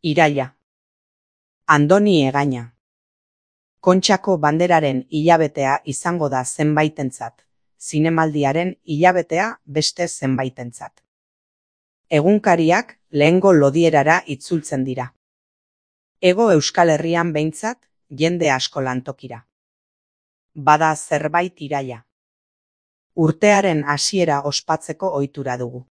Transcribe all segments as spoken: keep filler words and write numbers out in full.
Iraila. Andoni Egaña. Kontxako banderaren hilabetea izango da zenbaitentzat, zinemaldiaren hilabetea beste zenbaitentzat. Egunkariak lehengo lodierara itzultzen dira. Hego Euskal Herrian behintzat, jende asko lantokira. Bada zerbait iraila. Urtearen hasiera ospatzeko ohitura dugu.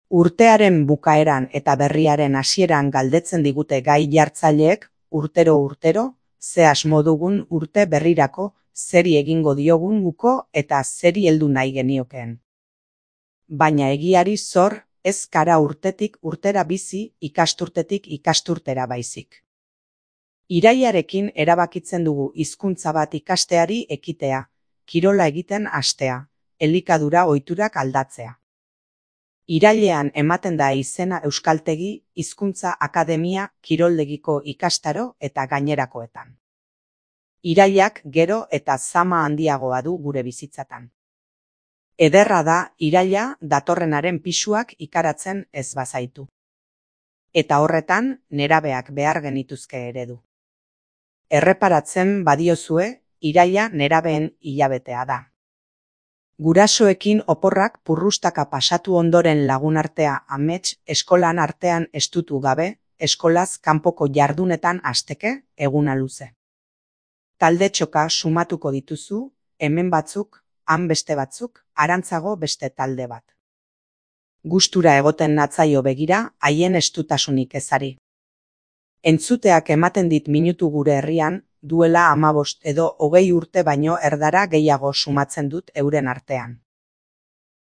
Urtearen bukaeran eta berriaren hasieran galdetzen digute gai jartzaileek urtero-urtero, ze asmo dugun urte berrirako, zeri egingo diogun uko eta zeri heldu nahi geniokeen. Baina egiari zor, ez gara urtetik urtera bizi, ikasturtetik ikasturtera baizik. Irailarekin erabakitzen dugu hizkuntza bat ikasteari ekitea, kirola egiten hastea, elikadura ohiturak aldatzea. Irailean ematen da izena Euskaltegi, Hizkuntza Akademia, kiroldegiko ikastaro eta gainerakoetan. Irailak gero eta zama handiagoa du gure bizitzatan. Ederra da iraila datorrenaren pisuak ikaratzen ez bazaitu. Eta horretan nerabeak behar genituzke eredu. Erreparatzen badiozue, iraila nerabeen hilabetea da. Gurasoekin oporrak purrustaka pasatu ondoren lagunartea amets eskolan artean estutu gabe, eskolaz kanpoko jardunetan hasteke eguna luze. Talde txoka sumatuko dituzu, hemen batzuk, han beste batzuk, arantzago beste talde bat. Gustura egoten natzaio begira, haien estutasunik ezari. Entzuteak ematen dit minutu gure herrian, duela hamabost edo hogei urte baino erdara gehiago sumatzen dut euren artean.